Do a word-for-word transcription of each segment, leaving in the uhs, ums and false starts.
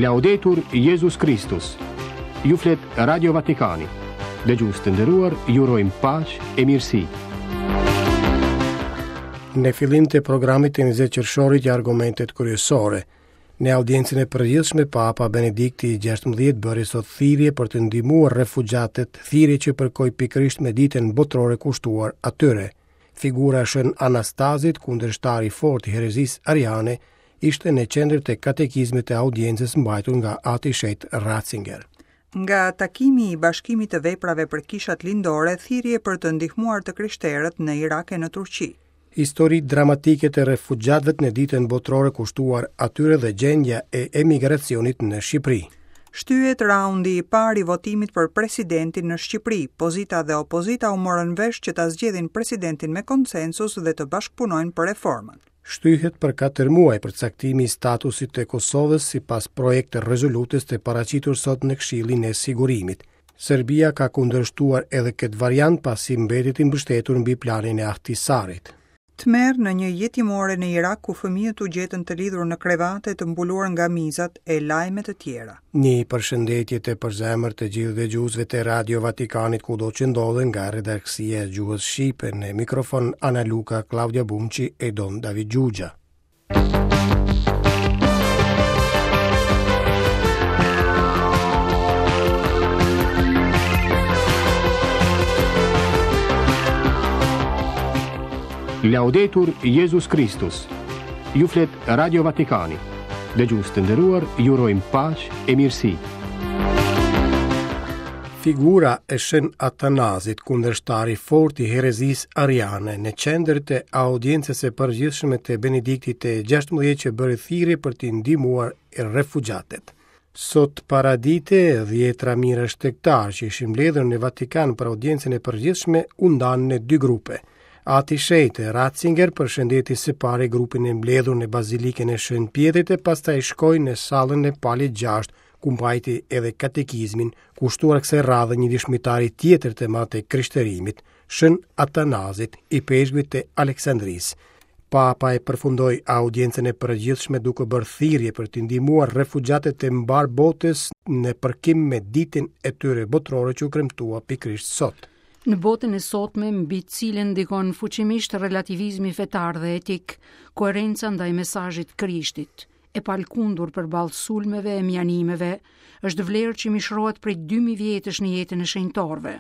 Laudetur Jezus Kristus. Ju flet Radio Vatikani. Dëgjues të nderuar, ju urojmë paqe e mirësi. Në fillim të programit të njëzet qershorit janë argumentet kryesore. Në audiencën e përgjithshme, Papa Benedikti i gjashtëmbëdhjetë bëri sot thirrje për të ndihmuar refugjatët, thirrje që përkoi pikërisht me ditën botërore kushtuar atyre. Figura e Shën Anastazit, kundërshtari i fortë i herezisë ariane, ishte në qendër të katekizmit të audiencës mbajtur nga Ati Shet Ratzinger. Nga takimi i bashkimit të veprave për kishat lindore, thirrje për të ndihmuar të krishterët në Irak e në Turqi. Histori dramatike të refugjatëve në ditën botërore kushtuar atyre dhe gjendja e emigracionit në Shqipëri. Shtyhet raundi i parë i votimit për presidentin në Shqipëri. Pozita dhe opozita u morën vesh që ta zgjedhin presidentin me konsensus dhe të bashkëpunojnë për reformën. Shtyhet për katër muaj përcaktimi i statusit të Kosovës sipas projekt rezolutës të paraqitur sot në Këshillin e Sigurimit. Serbia ka kundërshtuar edhe këtë variant pasi mbetet i mbështetur mbi planin e Ahtisarit. Tmerr në një jetimore në Irak ku fëmijët u gjetën të lidhur në krevate të mbuluar nga mizat e lajme të tjera. Një përshëndetje të përzemër të gjithë dëgjuesve të Radio Vatikanit kudo që ndodhen nga redaksia e gjuhës shqipe në mikrofon Ana Luka, Klaudia Bumçi e Don David Gjugja. Laudetur Jezus Kristus. Ju flet Radio Vatikani. Dëgjues të nderuar, ju urojmë paqe e mirësi. Figura e Shën Atanazit, kundërshtari i fortë i herezisë ariane, në qendër të audiencës së përgjithshme të Benediktit të gjashtëmbëdhjetë që bëri thirrje për të ndihmuar refugjatët. Sot paradite, dhjetra mijëra shtegtar që ishin mbledhur në Vatikan për audiencën e përgjithshme u ndanë në dy grupe. Ati Shet Ratzinger përshëndeti së pari grupin e mbledhur në Bazilikën e Shën Pjetrit e pastaj shkoi në sallën e Palit gjashtë, ku mbajti edhe katekizmin, kushtuar kësaj radhe një dëshmitari tjetër të madh të krishterimit, Shën Atanazit, i peshkvit të Aleksandrisë. Papa e përfundoi audiencën e përgjithshme duke bërë thirrje për të ndihmuar refugjatët e mbar botës në përkim me ditën e tyre botërore që u kremtua pikërisht sot. Në botën e sotme, mbi cilën ndikon fuqimisht relativizmi fetar dhe etik, koherenca ndaj mesazhit Krishtit, e palkundur përballë sulmeve e mjanimeve, është vlerë që mishrohet prej dy mijë vjetësh në jetën e shenjtorëve.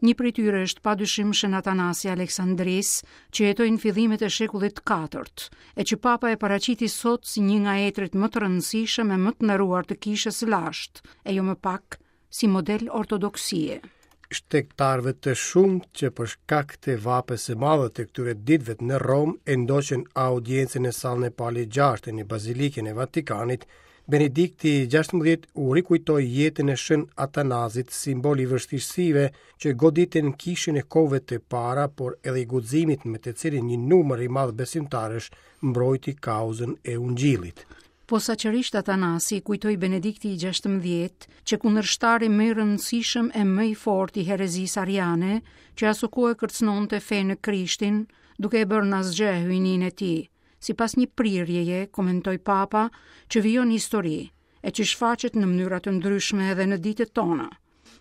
Një prej tyre është padyshim Shën Atanasi Aleksandrisë, që jetoi në fillimet e shekullit të katërt, e që Papa e paraqiti sot si një nga etrit më të rëndësishëm e më të nderuar të kishës së lashtë, e jo më pak si model ortodoksie. Shtegtarëve të shumtë që për shkak të vapës së madhe të këtyre ditëve në Romë e ndoqën audiencën në sallën e Palit gjashtë në Bazilikën e Vatikanit, Benedikti i gjashtëmbëdhjetë u rikujtoi jetën e Shën Atanazit, simbol i vështirësive që goditën kishën e kohëve të para, por edhe i guximit me të cilin një numër i madh besimtarësh mbrojti kauzën e Ungjillit. Posaçërisht Atanasi kujtoi Benedikti i gjashtëmbëdhjetë që kundërshtari më i rëndësishëm e më i fortë i herezisë ariane, që asokohe kërcënonte fenë në Krishtin, duke e bërë në asgjë hyjninë e tij, sipas një prirjeje, komentoi Papa, që vijon histori, e që shfaqet në mënyra të ndryshme edhe në ditët tona.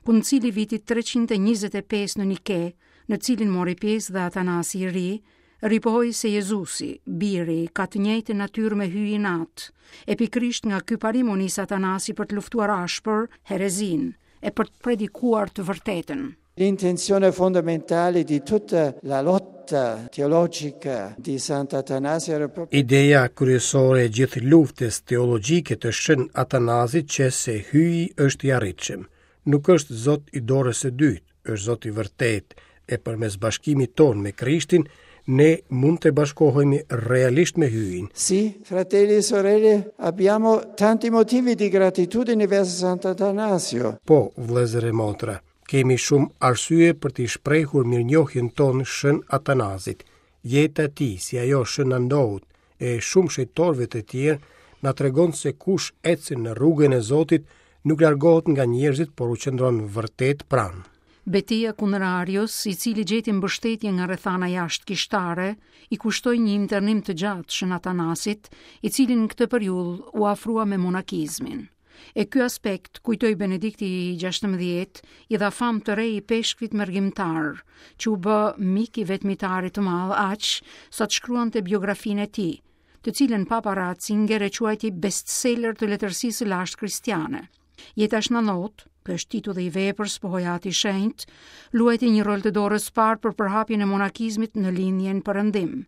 Koncili vitit treqind e njëzet e pesë në Nike, në cilin mori pjesë dhe Atanasi i ri, ripohoi se Jezusi, biri, ka të njëjtën natyrë me hyjin atë, e pikërisht nga ky parim u nis Atanasi për të luftuar ashpër herezinë e për të predikuar të vërtetën. L'intenzione fondamentale di tutta la lotta teologica di Sant'Atanasio era proprio Ideja kryesore e gjithë luftës teologjike të Shën Atanazit që se hyji është i arritshëm. Nuk është Zot i dorës së dytë, është Zot i vërtetë, e përmes bashkimit tonë me Krishtin, ne mund të bashkohemi realisht me hyjin. Sì, fratelli e sorelle, abbiamo tanti motivi di gratitudine verso Sant'Atanasio. Po, vëllezër e motra, kemi shumë arsye për t'i shprehur mirënjohjen tonë Shën Atanazit. Jeta e tij, si ajo Shën Andout e shumë shenjtorëve të tjerë, na tregon se kush ecën në rrugën e Zotit nuk largohet nga njerëzit, por u qëndron vërtet pranë. Beteja kundër Arios, i cili gjeti mbështetje nga rrethana jashtë kishtare, i kushtoi një internim të gjatë Shën Atanasit, i cili në këtë periudhë u afrua me monakizmin. E ky aspekt, kujtoi Benedikti i gjashtëmbëdhjetë, i dha famë të re ipeshkvit mërgimtar, që u bë mik i vetmitarit të madh aq sa të shkruante biografinë e tij, të cilën Papa Ratzinger e quajti bestseller të letërsisë së lashtë kristiane. Jeta shnanot, ky është titulli i veprës pohoi Ati i Shenjtë, luajti një rol të dorës parë për përhapjen e monakizmit në lindjen perëndim.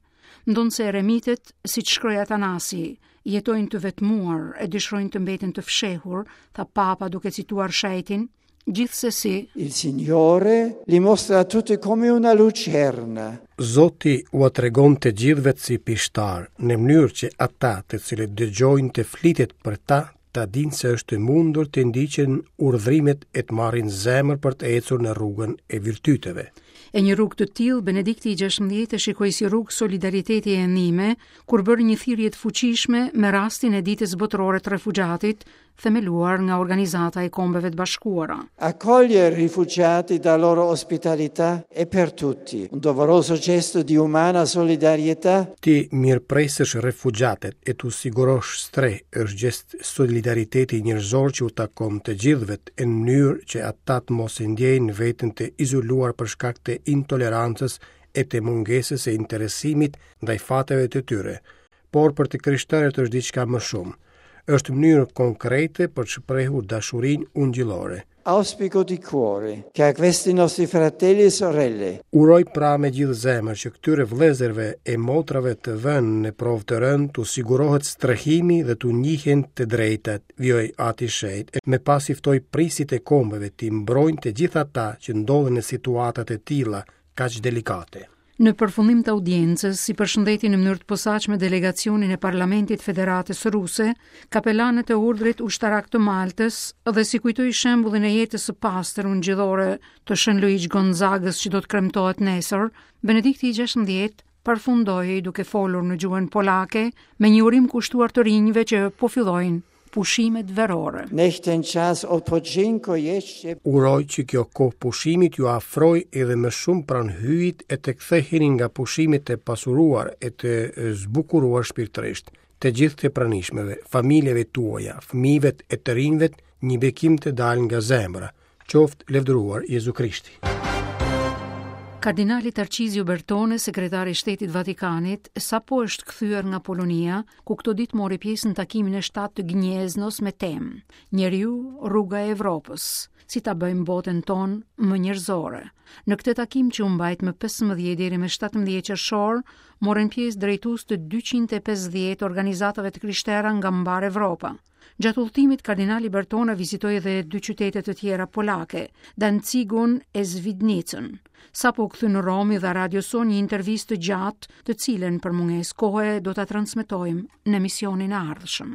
Ndonëse eremitet, siç shkroi Atanasi, jetojnë të vetmuar e dëshirojnë të mbeten të fshehur, tha Papa duke cituar shenjtin, gjithsesi Il Signore li mostra a tutti come una lucerna. Zoti ua tregon të gjithëve si pishtar, në mënyrë që ata të cilët dëgjojnë të flitet për ta, ta dinë se është e mundur të ndiqen urdhrimet e të marrin zemër për të ecur në rrugën e virtyteve. E një rrugë të tillë Benedikti i gjashtëmbëdhjetë e shikoi si rrugë solidariteti e ndihme, kur bëri një thirrje të fuqishme me rastin e Ditës Botërore të Refugjatit, themeluar nga Organizata e Kombeve të Bashkuara. Accogliere i rifugiati da loro ospitalità è per tutti un doveroso gesto di umana solidarietà. Ti mirëpresësh refugjatët e t'u sigurosh strehë është gjest solidariteti njerëzor që u takon të gjithëve në mënyrë që ata të mos e ndjejnë veten të izoluar për shkak të intolerancës e të mungesës së interesimit ndaj fateve të tyre. Por për të krishterët është diçka më shumë. Është mënyrë konkrete për të shprehur dashurinë ungjillore. Auspico di cuore che a questi nostri fratelli e sorelle Uroj pra me gjithë zemër që këtyre vëllezërve e motrave të vënë në provë të rëndë t'u sigurohet strehimi dhe t'u njihen të drejtat, vijoi Ati i Shenjtë, e me pas i ftoi prisit e kombeve t'i mbrojnë të gjithë ata që ndodhen në situatat e tilla kaq delikate. Në përfundim të audiencës, si përshëndeti në mënyrë të posaçme delegacionin e Parlamentit Federatës Ruse, kapelanët e urdhrit ushtarak të Maltës dhe si kujtoi shembullin e jetës së pastër ungjillore të Shën Luigj Gonzagës që do të kremtohet nesër, Benedikti i gjashtëmbëdhjetë përfundoi duke folur në gjuhën polake me një urim kushtuar të rinjve që po fillojnë pushimet verore. Niech ten czas odpoczynku jeszcze Uroj që kjo kohë pushimit ju afroj edhe më shumë pranë Hyjit e të ktheheni nga pushimet e pasuruar e të zbukuruar shpirtërisht. Të gjithë të pranishmëve, familjeve tuaja, fëmijëve e të rinjve, një bekim të dalë nga zemra. Qoftë lavdëruar Jezu Krishti. Kardinali Tarcizio Bertone, sekretari i Shtetit Vatikanit, sapo është kthyer nga Polonia, ku këto ditë mori pjesë në takimin e shtatë të Gnieznos me temë Njeriu, rruga e Evropës, si ta bëjmë botën tonë më njerëzore. Në këtë takim që u mbajt më pesëmbëdhjetë deri më shtatëmbëdhjetë qershor, morën pjesë drejtues të dyqind e pesëdhjetë organizatave të krishtera nga mbar Evropa. Gjatë udhëtimit, kardinali Bertone vizitoi edhe dy qytete të tjera polake, Danzigun e Svidnicën. Sapo u kthy në Romë i dha radios sonë një intervistë të gjatë, të cilën për mungesë kohe do ta transmetojmë në emisionin e ardhshëm.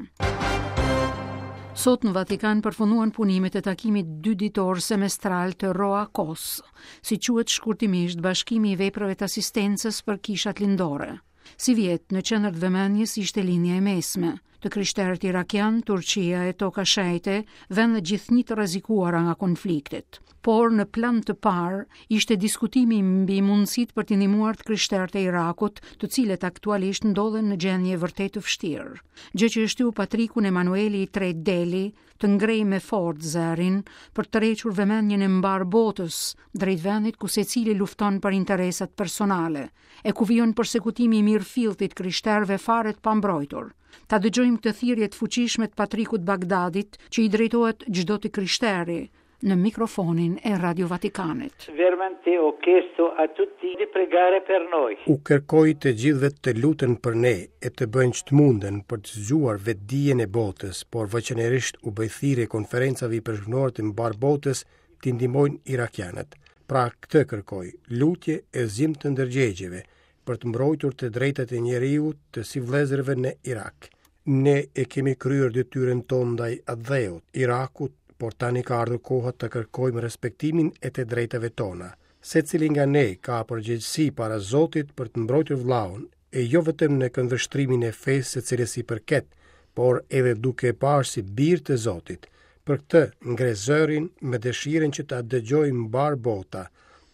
Sot në Vatikan përfunduan punimet e takimit dy ditor semestral të Roakos, si quhet shkurtimisht Bashkimi i Veprave të Asistencës për Kishat Lindore. Si vjet, në qendër të vëmendjes ishte linja e mesme, të krishterët irakian, Turqia e Toka Shenjte, vende gjithnjë të rrezikuara nga konfliktet. Por në plan të parë ishte diskutimi mbi mundësitë për t'i ndihmuar të krishterët e Irakut, të cilët aktualisht ndodhen në gjendje vërtet të vështirë. Gjë që e shtyu patrikun Emanueli i tretë Deli të ngrejë me forcë zërin për të tërhequr vëmendjen e mbar botës drejt vendit ku secili lufton për interesat personale, e ku vijon persekutimi i mirëfilltit krishterëve fare të pambrojtur. Ta dëgjojmë këtë thirrje të fuqishme të patrikut Bagdadit që i drejtohet çdo të krishteri në mikrofonin e Radio Vatikanit. Veramente ho chiesto a tutti di pregare per noi. U kërkoj të gjithëve të luten për ne e të bëjnë ç'të munden për të zgjuar vetdijen e botës, por veçanërisht u bëj thirrje konferencave ipeshkvnore të mbar botës t'i ndihmojnë irakianët. Pra këtë kërkoj, lutje e zgjim të ndërgjegjeve për të mbrojtur të drejtat e njeriut të si vëllezërve në Irak. Ne e kemi kryer detyrën tonë ndaj atdheut, Irakut, por tani ka ardhur koha të kërkojmë respektimin e të drejtave tona. Secili nga ne ka përgjegjësi para Zotit për të mbrojtur vllaun, e jo vetëm në këndvështrimin e fesë së cilës i përket, por edhe duke e parë si bir të Zotit. Për këtë ngre zërin me dëshirën që ta dëgjojë mbar bota,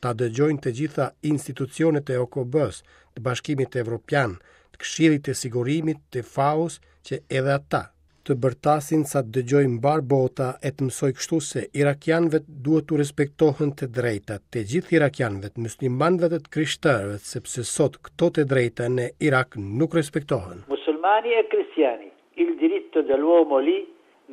ta dëgjojnë të gjitha institucionet e O K B-s, të Bashkimit Evropian, të Këshillit të Sigurimit, të F A O-s, që edhe ata të bërtasin sa të dëgjojë mbar bota e të mësoj kështu se irakianëve duhet t'u respektohen të drejtat, të gjithë irakianëve, muslimanëve dhe të krishterëve, sepse sot këto të drejta në Irak nuk respektohen. Musulmani e cristiani, il diritto dell'uomo lì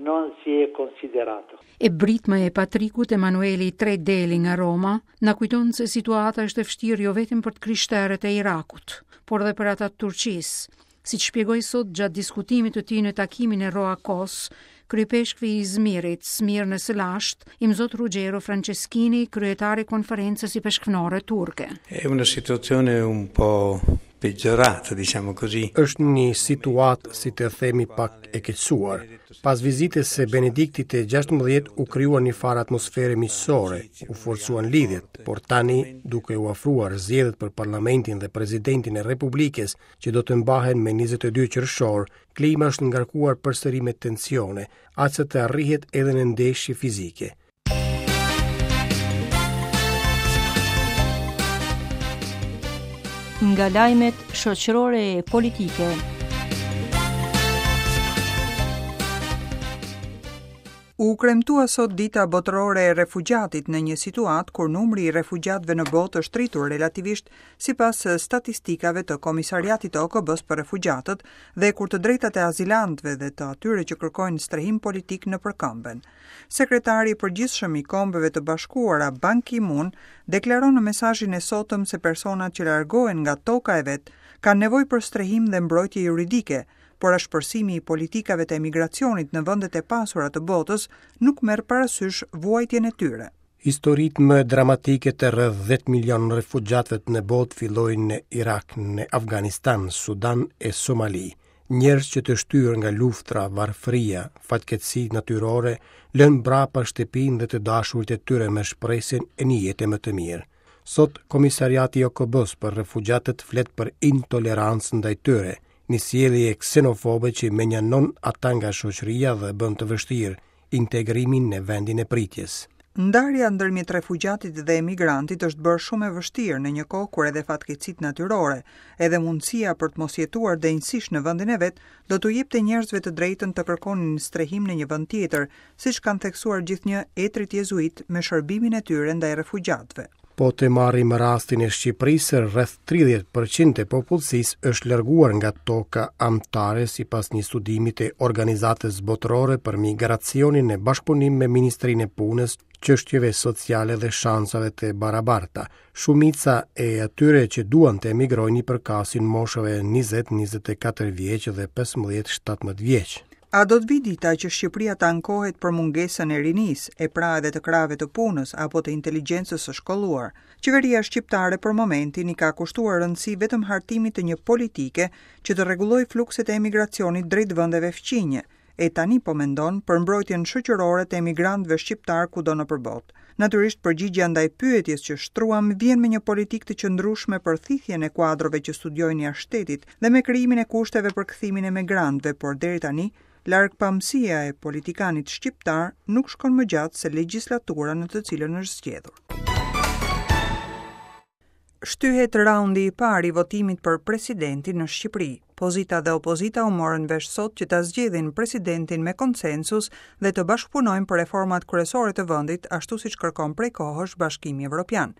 non si è considerato. E britma e Patrikut Emanueli i tretë Deli nga Roma na kujton se situata është e vështirë jo vetëm për të krishterët e Irakut, por edhe për ata të Turqisë. Si që shpjegoi sot gjatë diskutimit të tij në takimin e Roakos, kryepeshkvi i Izmirit, Smirnës së lashtë, Imzot Ruggero Franceschini, kryetar i konferencës ipeshkvnore turke. È una situazione un po' peggiorata, diciamo così. Është një situatë, si të themi, pak e keqësuar. Pas vizitës së Benediktit të gjashtëmbëdhjetë u krijua një farë atmosfere miqësore, u forcuan lidhjet, por tani, duke u afruar zgjedhjet për parlamentin dhe presidentin e Republikës, që do të mbahen me njëzet e dy qershor, klima është ngarkuar përsëri me tensione, aq sa të arrihet edhe në ndeshje fizike. Nga lajmet shoqërore e politike. U kremtua sot dita botërore e refugjatit në një situatë kur numri i refugjatëve në botë është rritur relativisht sipas statistikave të Komisariatit të O K B-s për refugjatët dhe kur të drejtat e azilantëve dhe të atyre që kërkojnë strehim politik në përkëmben. Sekretari i përgjithshëm i Kombeve të Bashkuara, Ban Ki-moon, deklaron në mesazhin e sotëm se personat që largohen nga toka e vet kanë nevojë për strehim dhe mbrojtje juridike, por ashpërsimi i politikave të emigracionit në vendet e pasura të botës nuk merr parasysh vuajtjen e tyre. Historitë më dramatike të rreth dhjetë milion refugjatëve në botë fillojnë në Irak, në Afganistan, Sudan e Somali. Njerëz që të shtyrë nga luftra, varfëria, fatkeqësi natyrore, lënë mbrapa shtëpinë dhe të dashurit e tyre me shpresën e një jete më të mirë. Sot, Komisariati i O K B-s për refugjatët flet për intolerancë ndaj tyre, një sjellje ksenofobe që menjanon ata nga shoqëria dhe bën të vështirë integrimin në vendin e pritjes. Ndarja ndërmjet refugjatit dhe emigrantit është bërë shumë e vështirë në një kohë kur edhe fatkeqësitë natyrore, edhe mundësia për të mos jetuar denjësisht në vendin e vet, do t'u jepte njerëzve të drejtën të kërkonin strehim në një vend tjetër, siç kanë theksuar gjithnjë etrit jezuit me shërbimin e tyre ndaj refugjatëve. Po të marrim rastin e Shqipërisë, rreth tridhjetë përqind e popullsisë është larguar nga toka amtare sipas një studimi të Organizatës Botërore për Migracionin në bashkëpunim me Ministrinë e Punës, Çështjeve Sociale dhe Shansave të Barabarta. Shumica e atyre që duan të emigrojnë i përkasin moshave njëzet, njëzet e katër vjeç dhe pesëmbëdhjetë, shtatëmbëdhjetë vjeç. A do të vi dita që Shqipëria të ankohet për mungesën e rinisë, e pra edhe të krahëve të punës apo të inteligjencës së shkolluar? Qeveria shqiptare për momentin i ka kushtuar rëndësi vetëm hartimit të një politike që të rregullojë flukset e emigracionit drejt vendeve fqinje, e tani po mendon për mbrojtjen shoqërore të emigrantëve shqiptar kudo nëpër botë. Natyrisht përgjigjja ndaj pyetjes që shtruam vjen me një politikë të qëndrueshme për thithjen e kuadrove që studiojnë jashtë shtetit dhe me krijimin e kushteve për kthimin e emigrantëve, por deri tani largpamësia e politikanit shqiptar nuk shkon më gjatë se legjislatura në të cilën është zgjedhur. Shtyhet raundi i parë i votimit për presidentin në Shqipëri. Pozita dhe opozita u morën vesh sot që ta zgjedhin presidentin me konsensus dhe të bashkëpunojnë për reformat kryesore të vendit, ashtu siç kërkon prej kohësh Bashkimi Evropian.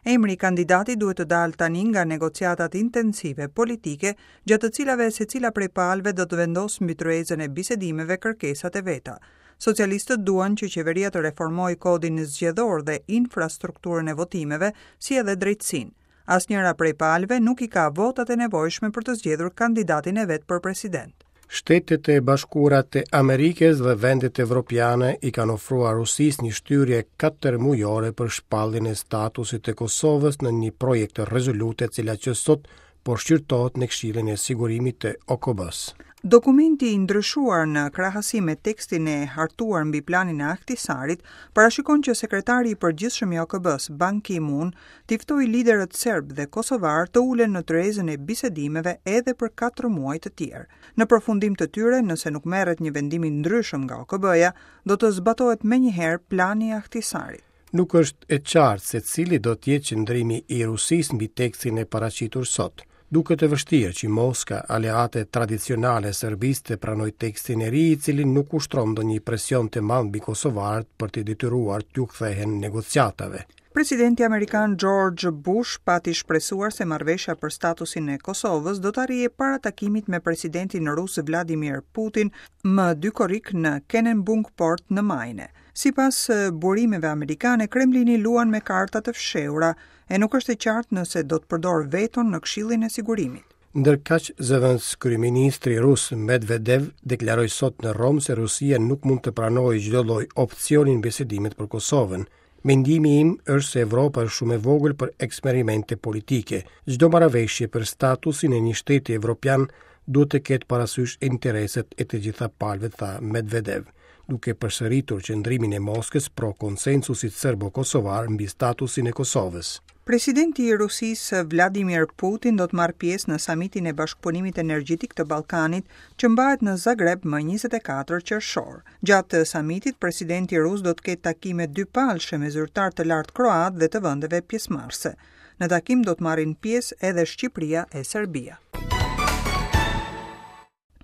Emri i kandidatit duhet të dalë tani nga negociatat intensive politike, gjatë të cilave secila prej palëve do të vendosë mbi tryezën e bisedimeve kërkesat e veta. Socialistët duan që qeveria të reformojë kodin zgjedhor dhe infrastrukturën e votimeve, si edhe drejtësinë. Asnjëra prej palëve nuk i ka votat e nevojshme për të zgjedhur kandidatin e vet për president. Shtetet e Bashkuara të Amerikës dhe vendet evropiane i kanë ofruar Rusisë një shtyrje katër mujore për shpalljen e statusit të Kosovës në një projekt rezolute e cila që sot po shqyrtohet në Këshillin e Sigurimit të O K B-s. Dokumenti i ndryshuar në krahasim me tekstin e hartuar mbi planin e Ahtisarit parashikon që sekretari i përgjithshëm i O K B-s, Ban Ki-moon, t'i ftojë liderët serb dhe kosovar të ulen në tryezën e bisedimeve edhe për katër muaj të tjerë. Në përfundim të tyre, nëse nuk merret një vendim i ndryshëm nga O K B-ja, do të zbatohet menjëherë plani i Ahtisarit. Nuk është e qartë se cili do të jetë qëndrimi i Rusisë mbi tekstin e paraqitur sot. Duket e vështirë që Moska, aleate tradicionale e Serbisë, të pranojë tekstin e ri, i cili nuk ushtron ndonjë presion të madh mbi kosovarët për t'i detyruar t'u kthehen negociatave. Presidenti amerikan George Bush pati shpresuar se marrëveshja për statusin e Kosovës do të arrijë para takimit me presidentin rus Vladimir Putin më dy korrik në Kennebunkport në Maine. Sipas burimeve amerikane, Kremlini luan me karta të fshehura e nuk është e qartë nëse do të përdorë veton në Këshillin e Sigurimit. Ndërkaq, zëvendëskryeministri rus Medvedev deklaroi sot në Romë se Rusia nuk mund të pranojë çdo lloj opsioni në bisedimet për Kosovën. Mendimi im është se Evropa është shumë e vogël për eksperimente politike. Çdo marrëveshje për statusin e një shteti evropian duhet të ketë parasysh intereset e të gjitha palëve, tha Medvedev, duke përsëritur qëndrimin e Moskës pro konsensusit serbo-kosovar mbi statusin e Kosovës. Presidenti i Rusisë Vladimir Putin do të marrë pjesë në samitin e bashkëpunimit energjetik të Ballkanit që mbahet në Zagreb më njëzet e katër qershor. Gjatë samitit, presidenti rus do të ketë takime dypalshe me zyrtarë të lartë kroat dhe të vendeve pjesëmarrëse. Në takim do të marrin pjesë edhe Shqipëria e Serbia.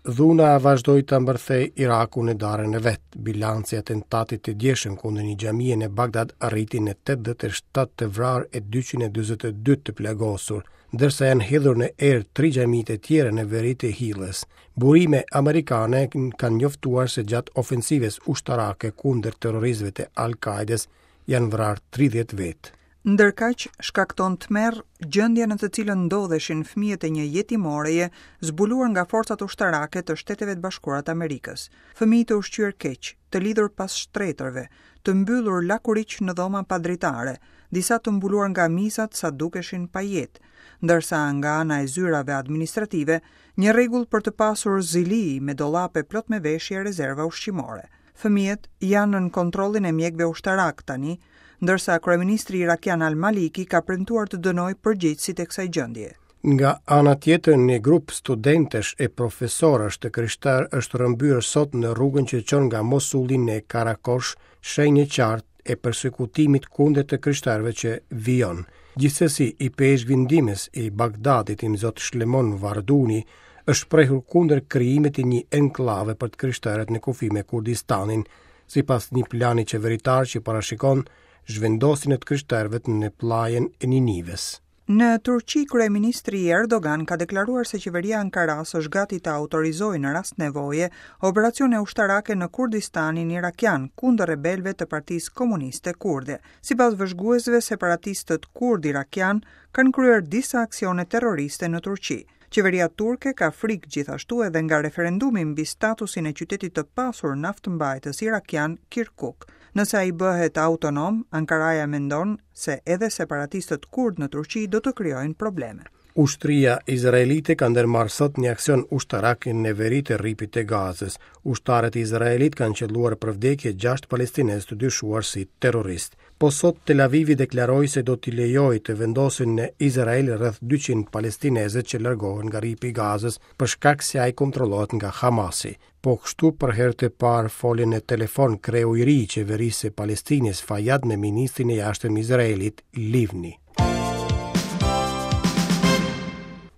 Dhuna vazhdoi të mbërthej Irakun në darën e vet. Bilanci i atentatit të djeshëm kundër një xhamie në Bagdad arriti në tetëdhjetë e shtatë të vrarë e dyqind e dyzet e dy të plagosur, ndërsa janë hedhur në erë tri xhamitë e tjera në veri të Hillës. Burime amerikane kanë njoftuar se gjatë ofensivës ushtarake kundër terroristëve të Al-Qaedes janë vrarë tridhjetë vetë. Ndërkaq, shkakton tmerr gjendja në të cilën ndodheshin fëmijët e një jetimoreje zbuluar nga forcat ushtarake të Shteteve të Bashkuara të Amerikës. Fëmijë të ushqyer keq, të lidhur pas shtretërve, të mbyllur lakuriq në dhoma pa dritare, disa të mbuluar nga mizat sa dukeshin pa jetë, ndërsa nga ana e zyrave administrative, një rregull për të pasur zili me dollape plot me veshje e rezerva ushqimore. Fëmijët janë nën kontrollin e mjekëve ushtarak tani, ndërsa kryeministri irakian Al-Maliki ka premtuar të dënojë përgjegjësit e kësaj gjendje. Nga ana tjetër, një grup studentësh e profesorësh të krishterë është rrëmbyer sot në rrugën që çon nga Mosuli në Karakosh, shenjë e qartë e persekutimit kundër të krishterëve që vijon. Gjithsesi, i peshkvi ndihmës i Bagdadit, Imzot Shlemon Varduni, është shprehur kundër krijimit të një enklave për të krishterët në kufi me Kurdistanin, sipas një plani qeveritar që parashikon zhvendosjen e të krishterëve në pllajën e Ninives. Në Turqi, kryeministri Erdogan ka deklaruar se qeveria e Ankarasë është gati të autorizojë në rast nevoje operacione ushtarake në Kurdistanin irakian kundër rebelëve të Partisë Komuniste Kurde. Sipas vëzhguesve, separatistët kurd irakian kanë kryer disa aksione terroriste në Turqi. Qeveria turke ka frikë gjithashtu edhe nga referendumi mbi statusin e qytetit të pasur naftëmbajtës irakian Kirkuk. Nëse ai bëhet autonom, Ankaraja mendon se edhe separatistët kurd në Turqi do të krijojnë probleme. Ushtria izraelite ka ndërmarrë sot një aksion ushtarak në veri të rripit të Gazës. Ushtarët izraelit kanë qelluar për vdekje gjashtë palestinezë të dyshuar si terroristë. Po sot Tel Avivi deklaroi se do t'i lejojë të vendosin në Izrael rreth dyqind palestinezë që largohen nga rripi i Gazës për shkak se ai kontrollohet nga Hamasi. Po kështu për herë të parë foli në telefon kreu i ri i qeverisë së Palestinës Fayyad me ministrin e jashtëm izraelit Livni.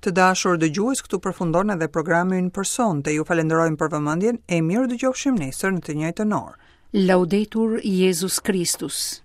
Të dashur dëgjues, këtu përfundon edhe programi ynë për sonte. Ju falenderojmë për vëmendjen e mirë dëgjofshim nesër në të njëjtën orë. Laudetur Jezus Kristus.